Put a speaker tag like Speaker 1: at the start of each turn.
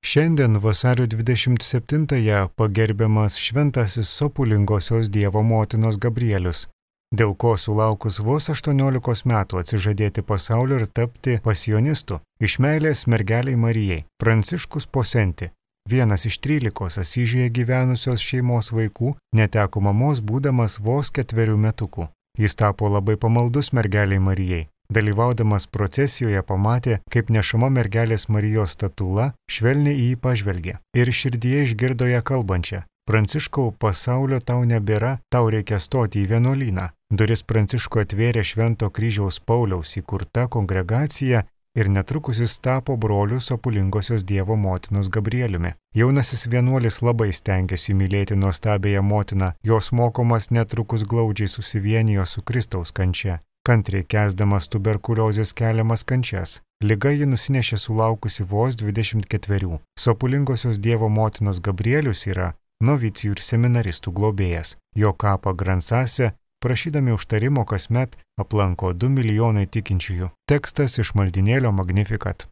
Speaker 1: Šiandien vasario 27-ąją pagerbiamas šventasis Sopulingosios Dievo motinos Gabrielius, dėl ko sulaukus vos 18 metų atsižadėti pasaulio ir tapti pasionistu iš meilės mergelei Marijai. Pranciškus Posenti, vienas iš 13 Asyžiuje gyvenusios šeimos vaikų, neteko mamos būdamas vos 4 metukų. Jis tapo labai pamaldus mergeliai Marijai. Dalyvaudamas procesijoje pamatė, kaip nešama mergelės Marijos statula švelniai į jį pažvelgė ir širdyje išgirdo ją kalbančią: Pranciškau, pasaulio tau nebėra, tau reikia stoti į vienuolyną. Duris Pranciškui atvėrė Švento kryžiaus Pauliaus įkurta kongregacija ir netrukus jis tapo broliu Sopulingosios Dievo motinos Gabrieliumi. Jaunasis vienuolis labai stengėsi mylėti nuostabiąją motiną, jos mokomas netrukus glaudžiai susivienijo su Kristaus kančia, kantriai kęsdamas tuberkuliozės keliamas kančias. Liga ji nusinešė sulaukusi vos 24. Sopulingosios Dievo motinos Gabrielius yra novicijų ir seminaristų globėjas. Jo kapą Gransase, prašydami užtarimo, kasmet aplanko 2 milijonai tikinčiųjų. Tekstas iš maldynėlio Magnificat.